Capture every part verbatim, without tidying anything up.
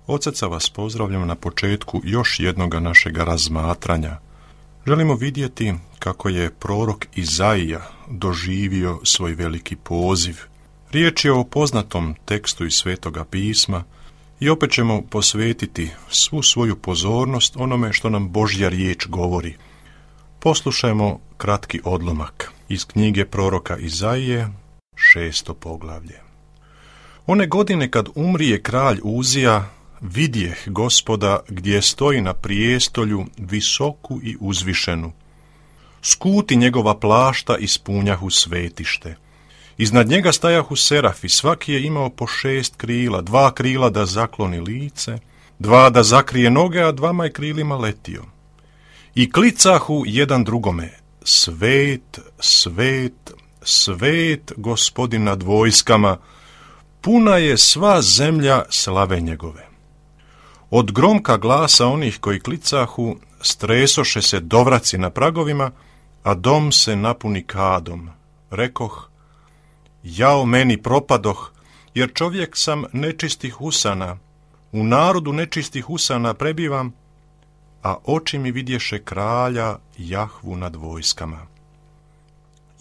Od srca vas pozdravljam na početku još jednoga našega razmatranja. Želimo vidjeti kako je prorok Izaija doživio svoj veliki poziv. Riječ je o poznatom tekstu iz Svetoga pisma i opet ćemo posvetiti svu svoju pozornost onome što nam Božja riječ govori. Poslušajmo kratki odlomak iz knjige proroka Izaije, šesto poglavlje. One godine kad umrije kralj Uzija, vidjeh Gospoda gdje stoji na prijestolju visoku i uzvišenu. Skuti njegova plašta ispunjahu svetište. Iznad njega stajahu serafi, svaki je imao po šest krila, dva krila da zakloni lice, dva da zakrije noge, a dvama je krilima letio. I klicahu jedan drugome, svet, svet, svet Gospodin nad vojskama, puna je sva zemlja slave njegove. Od gromka glasa onih koji klicahu, stresoše se dovraci na pragovima, a dom se napuni kadom. Rekoh, jao meni propadoh, jer čovjek sam nečistih usana, u narodu nečistih usana prebivam, a oči mi vidješe kralja Jahvu nad vojskama.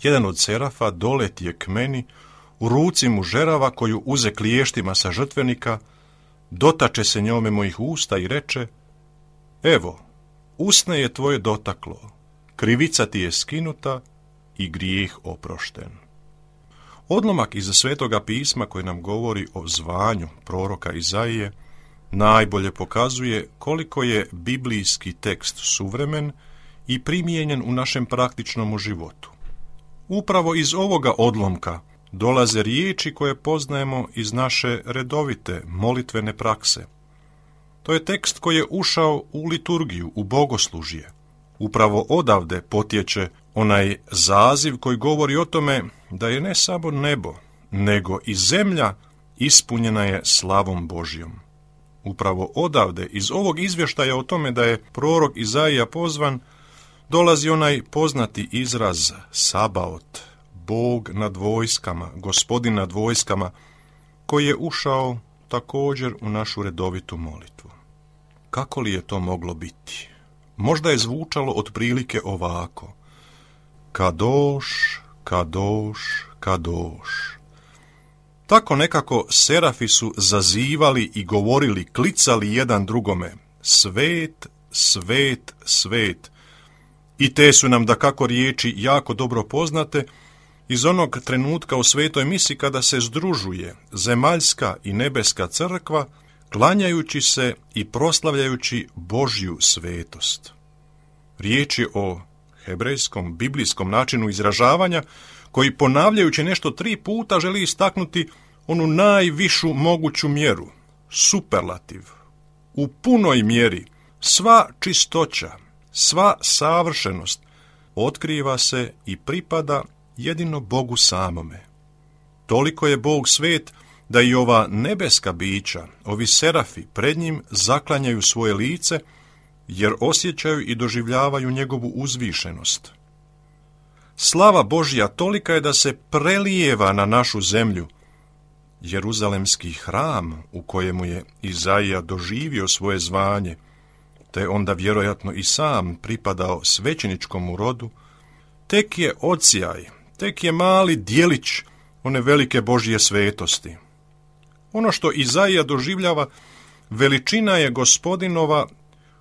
Jedan od serafa doletije k meni, u ruci mu žerava koju uze kliještima sa žrtvenika, dotače se njome mojih usta i reče, evo, usne je tvoje dotaklo, krivica ti je skinuta i grijeh oprošten. Odlomak iz Svetoga pisma koji nam govori o zvanju proroka Izaije najbolje pokazuje koliko je biblijski tekst suvremen i primijenjen u našem praktičnom životu. Upravo iz ovoga odlomka dolaze riječi koje poznajemo iz naše redovite molitvene prakse. To je tekst koji je ušao u liturgiju, u bogoslužje. Upravo odavde potječe onaj zaziv koji govori o tome da je ne samo nebo, nego i zemlja ispunjena je slavom Božjom. Upravo odavde, iz ovog izvještaja o tome da je prorok Izaija pozvan, dolazi onaj poznati izraz Sabaot, Bog nad vojskama, Gospodin nad vojskama, koji je ušao također u našu redovitu molitvu. Kako li je to moglo biti? Možda je zvučalo otprilike ovako. Kadoš, kadoš, kadoš. Tako nekako serafi su zazivali i govorili, klicali jedan drugome. Svet, svet, svet. I te su nam dakako riječi jako dobro poznate iz onog trenutka u svetoj misi kada se združuje zemaljska i nebeska crkva, klanjajući se i proslavljajući Božju svetost. Riječ je o hebrejskom, biblijskom načinu izražavanja, koji ponavljajući nešto tri puta želi istaknuti onu najvišu moguću mjeru, superlativ. U punoj mjeri sva čistoća, sva savršenost otkriva se i pripada jedino Bogu samome. Toliko je Bog svet da i ova nebeska bića, ovi serafi, pred njim zaklanjaju svoje lice, jer osjećaju i doživljavaju njegovu uzvišenost. Slava Božja tolika je da se prelijeva na našu zemlju. Jeruzalemski hram u kojemu je Izaija doživio svoje zvanje, te onda vjerojatno i sam pripadao svećeničkom rodu, tek je odsjaj, tek je mali dijelić one velike Božje svetosti. Ono što Izaija doživljava, veličina je Gospodinova,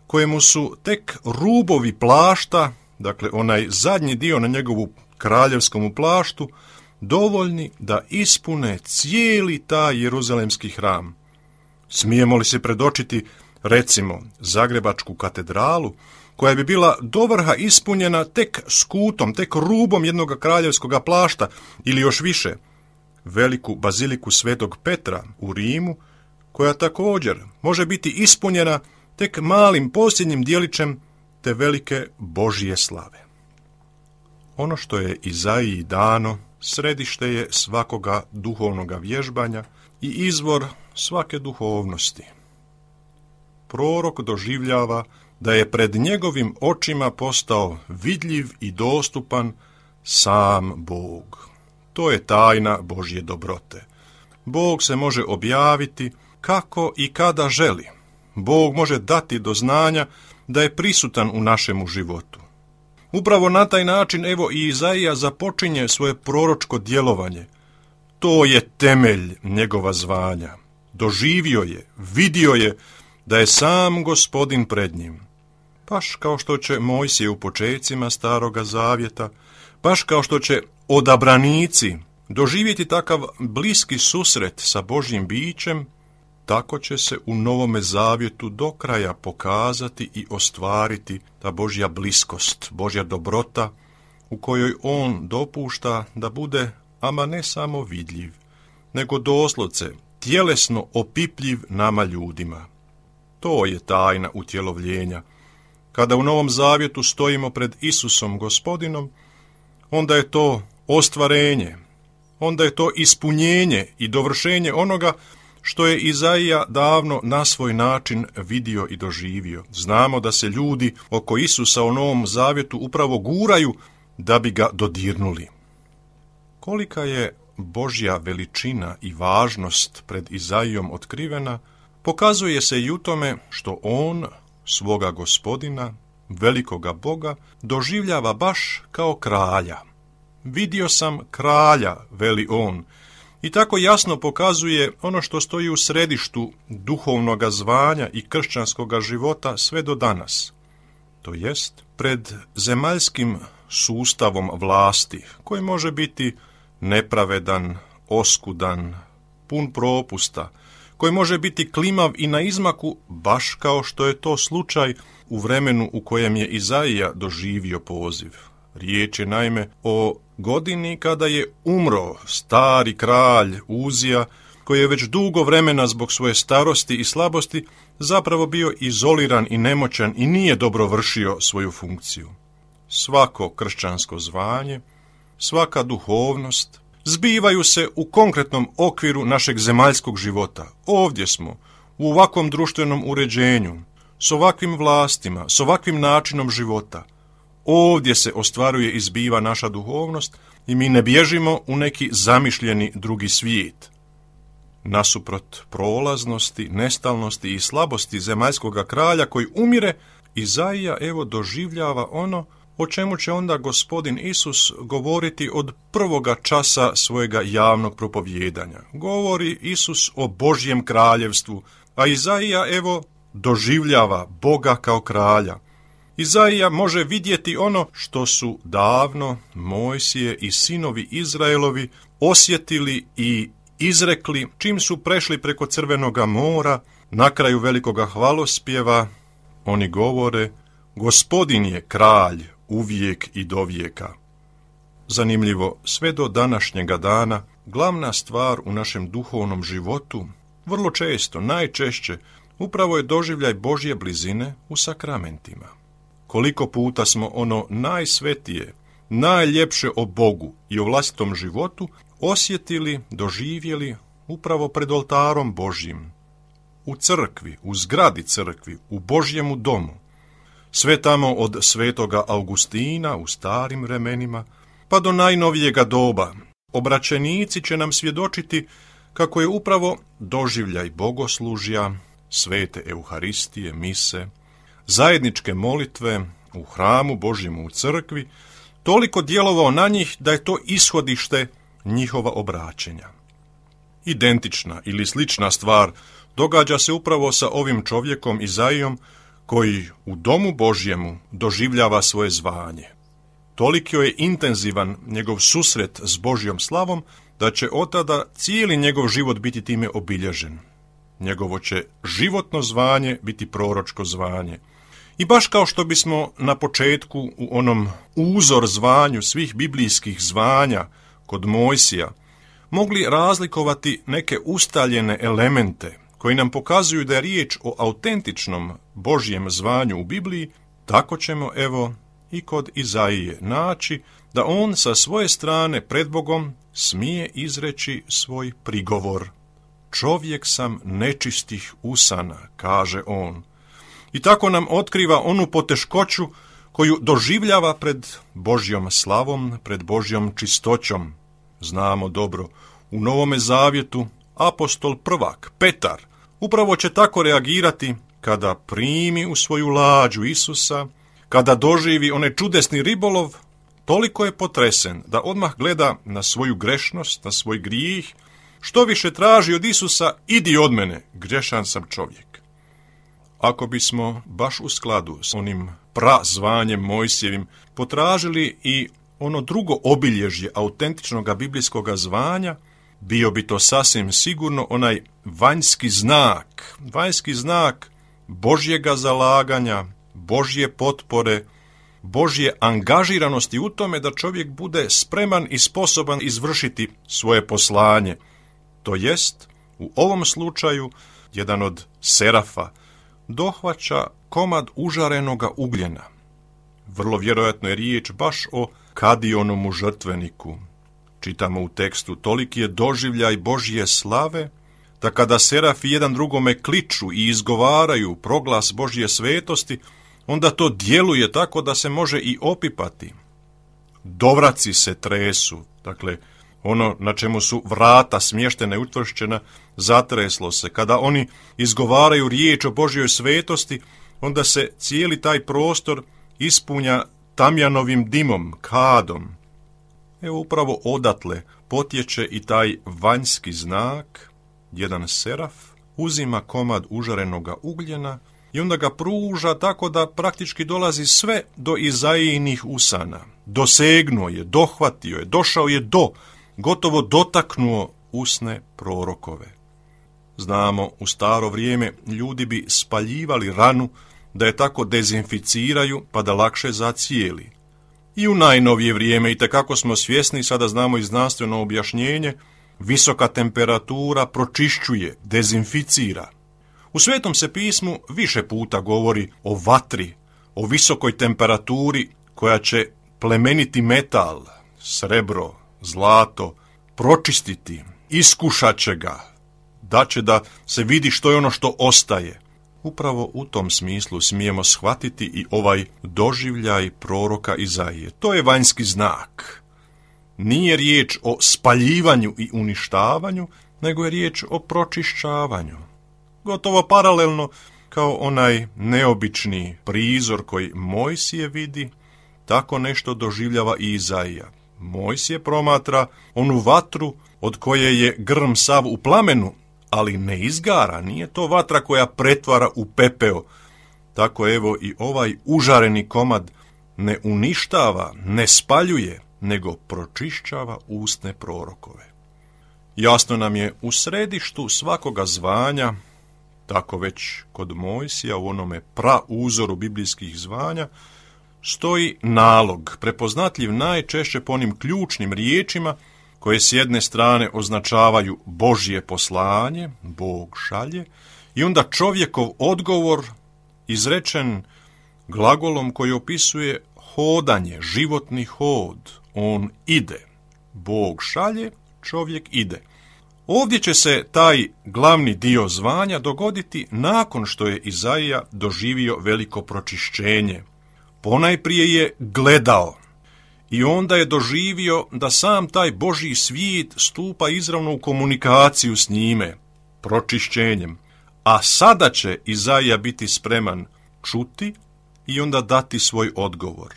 kojemu su tek rubovi plašta, dakle onaj zadnji dio na njegovu kraljevskom plaštu, dovoljni da ispune cijeli taj jeruzalemski hram. Smijemo li se predočiti, recimo, Zagrebačku katedralu, koja bi bila dovrha ispunjena tek skutom, tek rubom jednog kraljevskog plašta, ili još više, veliku baziliku Svetog Petra u Rimu, koja također može biti ispunjena tek malim posljednjim dijelićem te velike Božje slave. Ono što je Izaiji dano, središte je svakoga duhovnoga vježbanja i izvor svake duhovnosti. Prorok doživljava da je pred njegovim očima postao vidljiv i dostupan sam Bog. To je tajna Božje dobrote. Bog se može objaviti kako i kada želi. Bog može dati do znanja da je prisutan u našemu životu. Upravo na taj način, evo, i Izaija započinje svoje proročko djelovanje. To je temelj njegova zvanja. Doživio je, vidio je da je sam Gospodin pred njim. Baš kao što će Mojsije u počecima Staroga Zavjeta, baš kao što će odabranici doživjeti takav bliski susret sa Božjim bićem, tako će se u Novome Zavjetu do kraja pokazati i ostvariti ta Božja bliskost, Božja dobrota, u kojoj on dopušta da bude, ama ne samo vidljiv, nego doslovce tjelesno opipljiv nama ljudima. To je tajna utjelovljenja. Kada u Novom Zavjetu stojimo pred Isusom Gospodinom, onda je to ostvarenje, onda je to ispunjenje i dovršenje onoga što je Izaija davno na svoj način vidio i doživio. Znamo da se ljudi oko Isusa u Novom Zavjetu upravo guraju da bi ga dodirnuli. Kolika je Božja veličina i važnost pred Izaijom otkrivena, pokazuje se i u tome što on svoga Gospodina, velikoga Boga, doživljava baš kao kralja. Vidio sam kralja, veli on, i tako jasno pokazuje ono što stoji u središtu duhovnoga zvanja i kršćanskoga života sve do danas. To jest, pred zemaljskim sustavom vlasti, koji može biti nepravedan, oskudan, pun propusta, koji može biti klimav i na izmaku, baš kao što je to slučaj u vremenu u kojem je Izaija doživio poziv. Riječ je naime o godini kada je umro stari kralj Uzija, koji je već dugo vremena zbog svoje starosti i slabosti zapravo bio izoliran i nemoćan i nije dobro vršio svoju funkciju. Svako kršćansko zvanje, svaka duhovnost zbivaju se u konkretnom okviru našeg zemaljskog života. Ovdje smo, u ovakvom društvenom uređenju, s ovakvim vlastima, s ovakvim načinom života. Ovdje se ostvaruje i zbiva naša duhovnost i mi ne bježimo u neki zamišljeni drugi svijet. Nasuprot prolaznosti, nestalnosti i slabosti zemaljskoga kralja koji umire, Izaija evo doživljava ono o čemu će onda Gospodin Isus govoriti od prvoga časa svojega javnog propovjedanja. Govori Isus o Božjem kraljevstvu, a Izaija evo doživljava Boga kao kralja. Izaija može vidjeti ono što su davno Mojsije i sinovi Izraelovi osjetili i izrekli čim su prešli preko Crvenoga mora, na kraju velikoga hvalospjeva. Oni govore: Gospodin je kralj uvijek i dovijeka. Zanimljivo, sve do današnjega dana glavna stvar u našem duhovnom životu, vrlo često, najčešće, upravo je doživljaj Božje blizine u sakramentima. Koliko puta smo ono najsvetije, najljepše o Bogu i o vlastitom životu osjetili, doživjeli upravo pred oltarom Božjim, u crkvi, u zgradi crkvi, u Božjemu domu. Sve tamo od svetoga Augustina u starim vremenima, pa do najnovijega doba. Obraćenici će nam svjedočiti kako je upravo doživljaj bogoslužja, svete Euharistije, mise, zajedničke molitve u hramu Božjemu u crkvi, toliko djelovao na njih da je to ishodište njihova obraćenja. Identična ili slična stvar događa se upravo sa ovim čovjekom Izaijom, koji u domu Božjemu doživljava svoje zvanje. Toliko je intenzivan njegov susret s Božjom slavom, da će od tada cijeli njegov život biti time obilježen. Njegovo će životno zvanje biti proročko zvanje. I baš kao što bismo na početku u onom uzor zvanju svih biblijskih zvanja kod Mojsija mogli razlikovati neke ustaljene elemente koji nam pokazuju da je riječ o autentičnom Božjem zvanju u Bibliji, tako ćemo evo i kod Izaije naći da on sa svoje strane pred Bogom smije izreći svoj prigovor. Čovjek sam nečistih usana, kaže on. I tako nam otkriva onu poteškoću koju doživljava pred Božjom slavom, pred Božjom čistoćom. Znamo dobro, u Novome Zavjetu apostol prvak, Petar, upravo će tako reagirati kada primi u svoju lađu Isusa, kada doživi onaj čudesni ribolov, toliko je potresen da odmah gleda na svoju grešnost, na svoj grijeh, što više traži od Isusa, idi od mene, grešan sam čovjek. Ako bismo baš u skladu s onim prazvanjem Mojsijevim potražili i ono drugo obilježje autentičnog biblijskog zvanja, bio bi to sasvim sigurno onaj vanjski znak, vanjski znak Božjega zalaganja, Božje potpore, Božje angažiranosti u tome da čovjek bude spreman i sposoban izvršiti svoje poslanje. To jest, u ovom slučaju, jedan od serafa dohvaća komad užarenoga ugljena. Vrlo vjerojatno je riječ baš o kadionomu žrtveniku. Čitamo u tekstu, toliki je doživljaj Božje slave, da kada serafi jedan drugome kliču i izgovaraju proglas Božje svetosti, onda to djeluje tako da se može i opipati. Dovraci se tresu, dakle, ono na čemu su vrata smještena i utvršćena, zatreslo se. Kada oni izgovaraju riječ o Božjoj svetosti, onda se cijeli taj prostor ispunja tamjanovim dimom, kadom. Evo upravo odatle potječe i taj vanjski znak, jedan seraf uzima komad užarenoga ugljena i onda ga pruža tako da praktički dolazi sve do Izaijinih usana. Dosegnuo je, dohvatio je, došao je do, gotovo dotaknuo usne prorokove. Znamo, u staro vrijeme ljudi bi spaljivali ranu da je tako dezinficiraju pa da lakše zacijeli. I u najnovije vrijeme, i tekako smo svjesni, sada znamo i znanstveno objašnjenje, visoka temperatura pročišćuje, dezinficira. U Svetom se pismu više puta govori o vatri, o visokoj temperaturi koja će plemeniti metal, srebro, zlato, pročistiti, iskušat će ga, da će da se vidi što je ono što ostaje. Upravo u tom smislu smijemo shvatiti i ovaj doživljaj proroka Izaije. To je vanjski znak. Nije riječ o spaljivanju i uništavanju, nego je riječ o pročišćavanju. Gotovo paralelno kao onaj neobični prizor koji Mojsije vidi, tako nešto doživljava i Izaija. Mojsije promatra onu vatru od koje je grm sav u plamenu, ali ne izgara, nije to vatra koja pretvara u pepeo. Tako evo i ovaj užareni komad ne uništava, ne spaljuje, nego pročišćava usne prorokove. Jasno nam je u središtu svakoga zvanja, tako već kod Mojsija u onome prauzoru biblijskih zvanja, stoji nalog, prepoznatljiv najčešće po onim ključnim riječima koje s jedne strane označavaju Božje poslanje, Bog šalje, i onda čovjekov odgovor izrečen glagolom koji opisuje hodanje, životni hod. On ide. Bog šalje, čovjek ide. Ovdje će se taj glavni dio zvanja dogoditi nakon što je Izaija doživio veliko pročišćenje. Ponajprije je gledao i onda je doživio da sam taj Božji svijet stupa izravno u komunikaciju s njime, pročišćenjem. A sada će Izaija biti spreman čuti i onda dati svoj odgovor.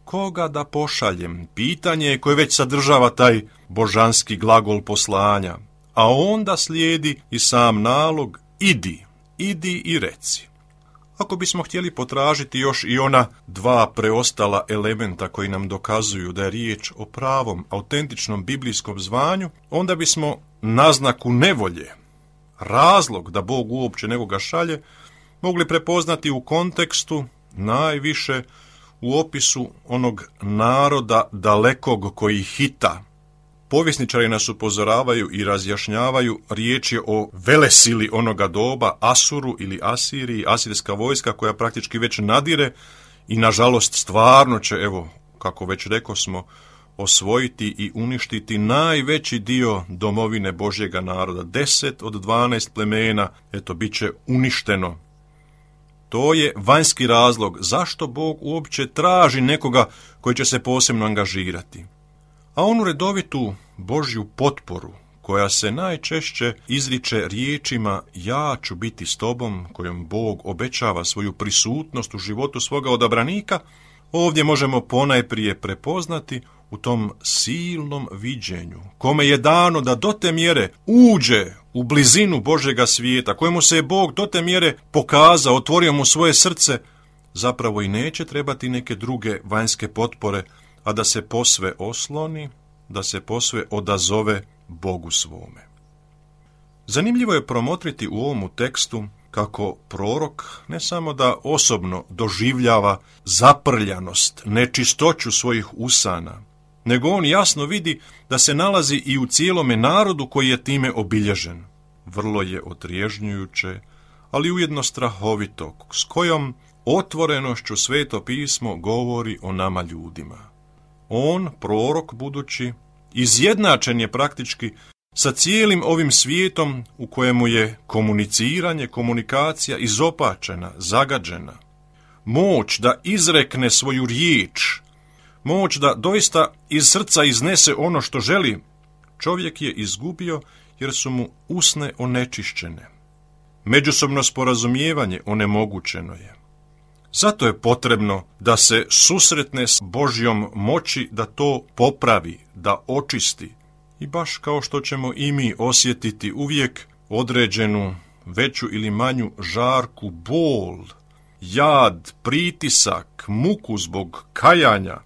Koga da pošaljem? Pitanje je koje već sadržava taj božanski glagol poslanja, a onda slijedi i sam nalog idi, idi i reci. Ako bismo htjeli potražiti još i ona dva preostala elementa koji nam dokazuju da je riječ o pravom, autentičnom biblijskom zvanju, onda bismo naznaku nevolje, razlog da Bog uopće nekoga šalje, mogli prepoznati u kontekstu najviše u opisu onog naroda dalekog koji hita. Povjesničari nas upozoravaju i razjašnjavaju, riječ je o velesili onoga doba, Asuru ili Asiriji, asirska vojska koja praktički već nadire i nažalost stvarno će, evo, kako već rekosmo, osvojiti i uništiti najveći dio domovine Božjega naroda. Deset od dvanaest plemena, eto, bit će uništeno. To je vanjski razlog zašto Bog uopće traži nekoga koji će se posebno angažirati. A onu redovitu Božju potporu koja se najčešće izriče riječima ja ću biti s tobom, kojom Bog obećava svoju prisutnost u životu svoga odabranika, ovdje možemo ponajprije prepoznati u tom silnom viđenju, kome je dano da do te mjere uđe u blizinu Božjega svijeta, kojemu se je Bog do te mjere pokazao, otvorio mu svoje srce, zapravo i neće trebati neke druge vanjske potpore, a da se posve osloni, da se posve odazove Bogu svome. Zanimljivo je promotriti u ovomu tekstu kako prorok ne samo da osobno doživljava zaprljanost, nečistoću svojih usana, nego on jasno vidi da se nalazi i u cijelome narodu koji je time obilježen. Vrlo je otrježnjujuće, ali ujedno strahovito, s kojom otvorenošću Sveto pismo govori o nama ljudima. On, prorok budući, izjednačen je praktički sa cijelim ovim svijetom u kojemu je komuniciranje, komunikacija izopačena, zagađena. Moć da izrekne svoju riječ, moć da doista iz srca iznese ono što želi, čovjek je izgubio jer su mu usne onečišćene. Međusobno sporazumijevanje onemogućeno je. Zato je potrebno da se susretne s Božjom moći da to popravi, da očisti. I baš kao što ćemo i mi osjetiti uvijek određenu veću ili manju žarku, bol, jad, pritisak, muku zbog kajanja,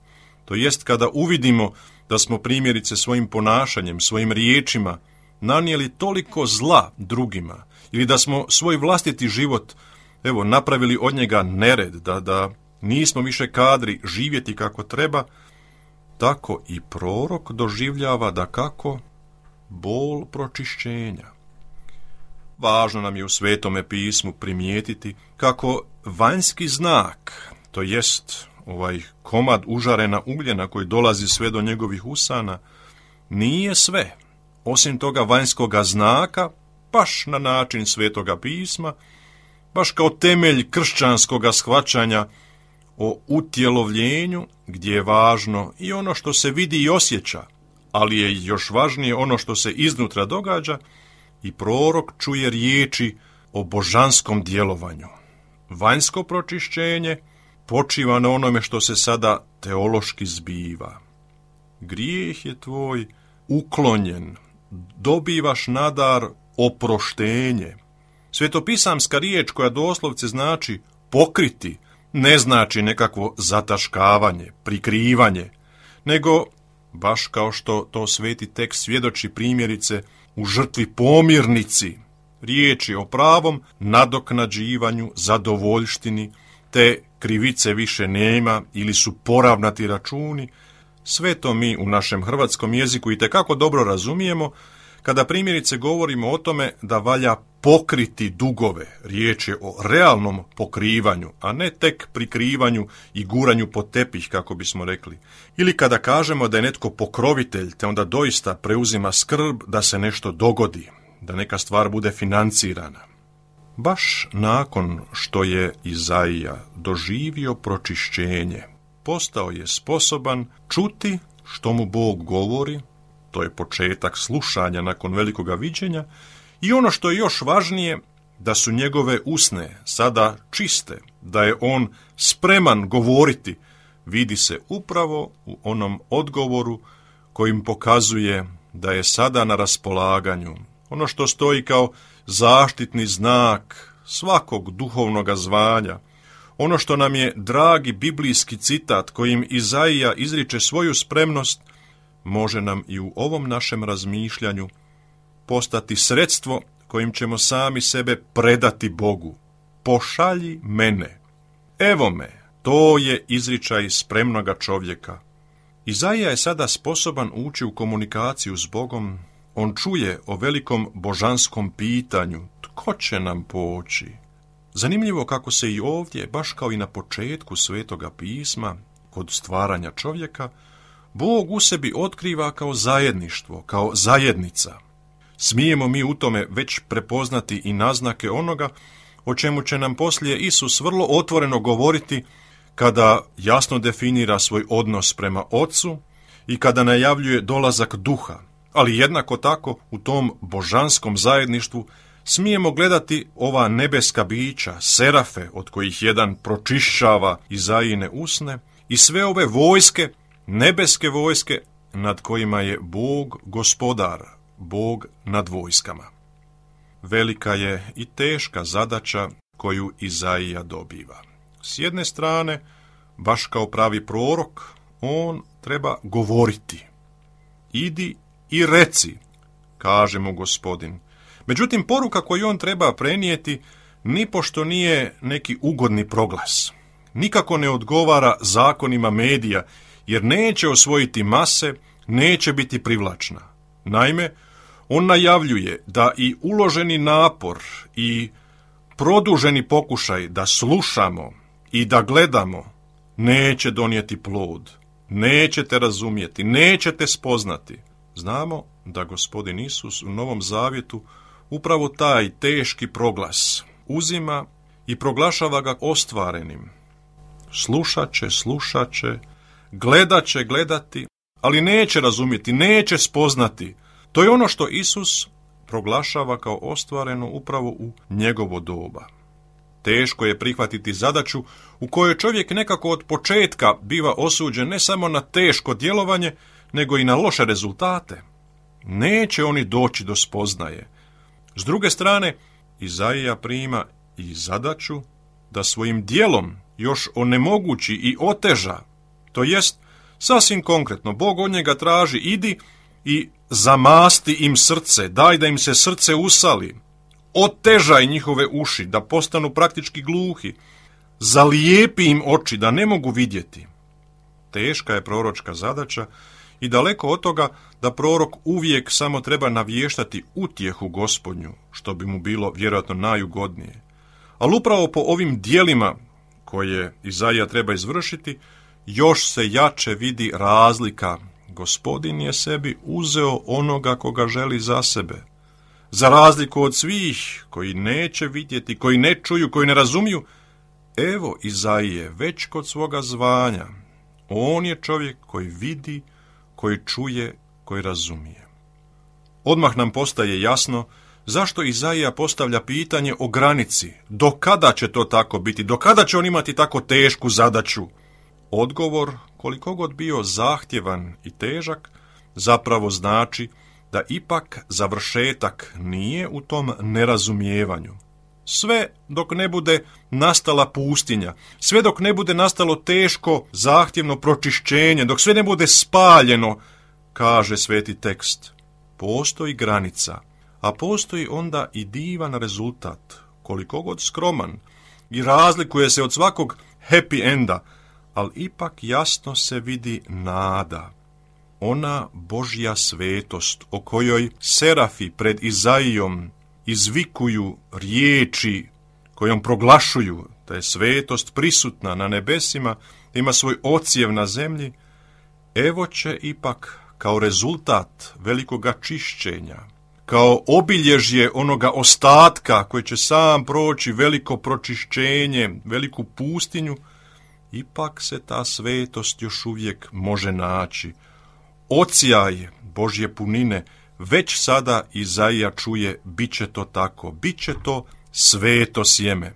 to jest kada uvidimo da smo primjerice svojim ponašanjem, svojim riječima nanijeli toliko zla drugima ili da smo svoj vlastiti život evo, napravili od njega nered, da, da nismo više kadri živjeti kako treba, tako i prorok doživljava da kako bol pročišćenja. Važno nam je u Svetome pismu primijetiti kako vanjski znak, to jest ovaj komad užarena ugljena koji dolazi sve do njegovih usana, nije sve. Osim toga vanjskoga znaka, baš na način Svetoga pisma, baš kao temelj kršćanskoga shvaćanja o utjelovljenju, gdje je važno i ono što se vidi i osjeća, ali je još važnije ono što se iznutra događa, i prorok čuje riječi o božanskom djelovanju. Vanjsko pročišćenje počiva na onome što se sada teološki zbiva. Grijeh je tvoj uklonjen, dobivaš nadar oproštenje. Svetopisamska riječ koja doslovce znači pokriti, ne znači nekakvo zataškavanje, prikrivanje, nego, baš kao što to sveti tekst svjedoči primjerice u žrtvi pomirnici, riječ je o pravom nadoknađivanju, zadovoljštini, te krivice više nema ili su poravnati računi. Sve to mi u našem hrvatskom jeziku itekako dobro razumijemo kada primjerice govorimo o tome da valja pokriti dugove. Riječ je o realnom pokrivanju, a ne tek prikrivanju i guranju pod tepih, kako bismo rekli. Ili kada kažemo da je netko pokrovitelj, te onda doista preuzima skrb da se nešto dogodi, da neka stvar bude financirana. Baš nakon što je Izaija doživio pročišćenje, postao je sposoban čuti što mu Bog govori, to je početak slušanja nakon velikoga viđenja, i ono što je još važnije, da su njegove usne sada čiste, da je on spreman govoriti, vidi se upravo u onom odgovoru kojim pokazuje da je sada na raspolaganju. Ono što stoji kao zaštitni znak svakog duhovnoga zvanja, ono što nam je dragi biblijski citat kojim Izaija izriče svoju spremnost, može nam i u ovom našem razmišljanju postati sredstvo kojim ćemo sami sebe predati Bogu. Pošalji mene. Evo me, to je izričaj spremnoga čovjeka. Izaija je sada sposoban ući u komunikaciju s Bogom. On čuje o velikom božanskom pitanju, tko će nam poći? Zanimljivo kako se i ovdje, baš kao i na početku Svetoga pisma, kod stvaranja čovjeka, Bog u sebi otkriva kao zajedništvo, kao zajednica. Smijemo mi u tome već prepoznati i naznake onoga o čemu će nam poslije Isus vrlo otvoreno govoriti kada jasno definira svoj odnos prema Otcu i kada najavljuje dolazak Duha. Ali jednako tako u tom božanskom zajedništvu smijemo gledati ova nebeska bića, serafe, od kojih jedan pročišćava Izajine usne, i sve ove vojske, nebeske vojske, nad kojima je Bog gospodar, Bog nad vojskama. Velika je i teška zadaća koju Izaija dobiva. S jedne strane, baš kao pravi prorok, on treba govoriti. Idi i reci, kaže mu Gospodin. Međutim, poruka koju on treba prenijeti nipošto nije neki ugodni proglas. Nikako ne odgovara zakonima medija, jer neće osvojiti mase, neće biti privlačna. Naime, on najavljuje da i uloženi napor i produženi pokušaj da slušamo i da gledamo neće donijeti plod, nećete razumjeti, nećete spoznati. Znamo da Gospodin Isus u Novom Zavjetu upravo taj teški proglas uzima i proglašava ga ostvarenim. Slušat će, slušat će, gledat će, gledati, ali neće razumjeti, neće spoznati. To je ono što Isus proglašava kao ostvareno upravo u njegovo doba. Teško je prihvatiti zadaću u kojoj čovjek nekako od početka biva osuđen ne samo na teško djelovanje, nego i na loše rezultate. Neće oni doći do spoznaje. S druge strane, Izaija prima i zadaću da svojim djelom još onemogući i oteža. To jest, sasvim konkretno, Bog od njega traži, idi i zamasti im srce, daj da im se srce usali, otežaj njihove uši, da postanu praktički gluhi, zalijepi im oči, da ne mogu vidjeti. Teška je proročka zadaća i daleko od toga da prorok uvijek samo treba navještati utjehu Gospodnju, što bi mu bilo vjerojatno najugodnije. Ali upravo po ovim djelima koje Izaija treba izvršiti, još se jače vidi razlika. Gospodin je sebi uzeo onoga koga želi za sebe. Za razliku od svih koji neće vidjeti, koji ne čuju, koji ne razumiju, evo Izaije već kod svoga zvanja. On je čovjek koji vidi, koji čuje, koji razumije. Odmah nam postaje jasno zašto Izaija postavlja pitanje o granici. Do kada će to tako biti? Do kada će on imati tako tešku zadaću? Odgovor, koliko god bio zahtjevan i težak, zapravo znači da ipak završetak nije u tom nerazumijevanju. Sve dok ne bude nastala pustinja, sve dok ne bude nastalo teško, zahtjevno pročišćenje, dok sve ne bude spaljeno, kaže sveti tekst, postoji granica, a postoji onda i divan rezultat, koliko god skroman, i razlikuje se od svakog happy enda, ali ipak jasno se vidi nada. Ona Božja svetost o kojoj serafi pred Izaijom izvikuju riječi kojom proglašuju da je svetost prisutna na nebesima, ima svoj odsjev na zemlji, evo će ipak kao rezultat velikoga čišćenja, kao obilježje onoga ostatka koji će sam proći veliko pročišćenje, veliku pustinju, ipak se ta svetost još uvijek može naći. Odsjaj Božje punine već sada Izaija čuje, bit će to tako, bit će to sveto sjeme.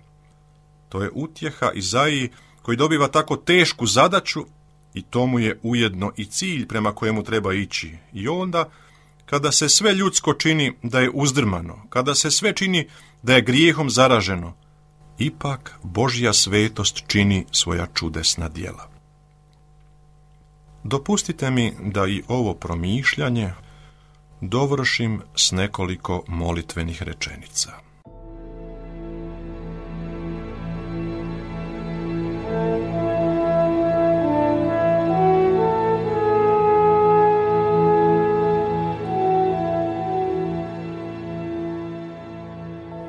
To je utjeha Izaiji koji dobiva tako tešku zadaću i to mu je ujedno i cilj prema kojemu treba ići. I onda, kada se sve ljudsko čini da je uzdrmano, kada se sve čini da je grijehom zaraženo, ipak Božja svetost čini svoja čudesna djela. Dopustite mi da i ovo promišljanje dovršim s nekoliko molitvenih rečenica.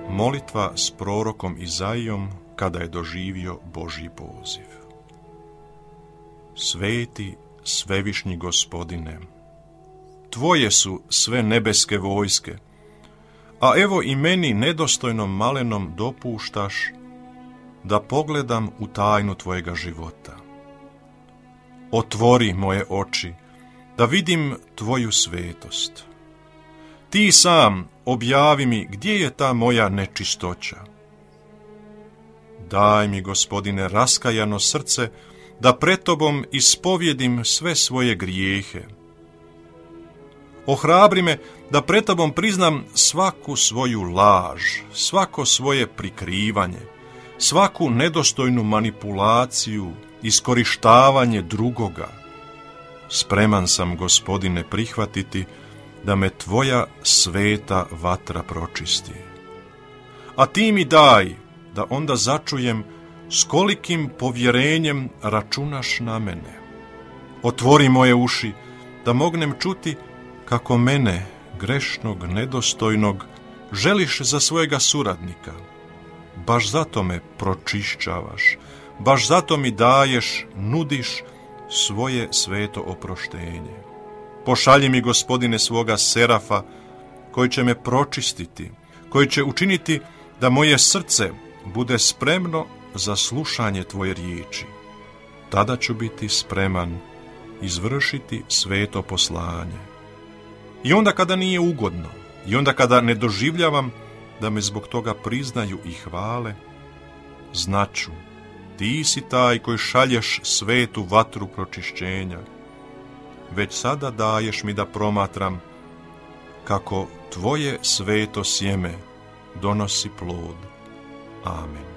Molitva s prorokom Izaijom kada je doživio Božji poziv. Sveti, svevišnji Gospodine, Tvoje su sve nebeske vojske, a evo i meni nedostojnom malenom dopuštaš da pogledam u tajnu Tvojega života. Otvori moje oči, da vidim Tvoju svetost, Ti sam objavi mi gdje je ta moja nečistoća. Daj mi, Gospodine, raskajano srce, da pred Tobom ispovjedim sve svoje grijehe. Ohrabri me da pred Tobom priznam svaku svoju laž, svako svoje prikrivanje, svaku nedostojnu manipulaciju, iskorištavanje drugoga. Spreman sam, Gospodine, prihvatiti da me Tvoja sveta vatra pročisti. A Ti mi daj da onda začujem s kolikim povjerenjem računaš na mene. Otvori moje uši da mognem čuti kako mene, grešnog, nedostojnog, želiš za svojega suradnika. Baš zato me pročišćavaš, baš zato mi daješ, nudiš svoje sveto oproštenje. Pošalji mi, Gospodine, svoga serafa koji će me pročistiti, koji će učiniti da moje srce bude spremno za slušanje Tvoje riječi. Tada ću biti spreman izvršiti sveto poslanje. I onda kada nije ugodno, i onda kada ne doživljavam da me zbog toga priznaju i hvale, znaću, Ti si taj koji šalješ svetu vatru pročišćenja. Već sada daješ mi da promatram kako Tvoje sveto sjeme donosi plod. Amen.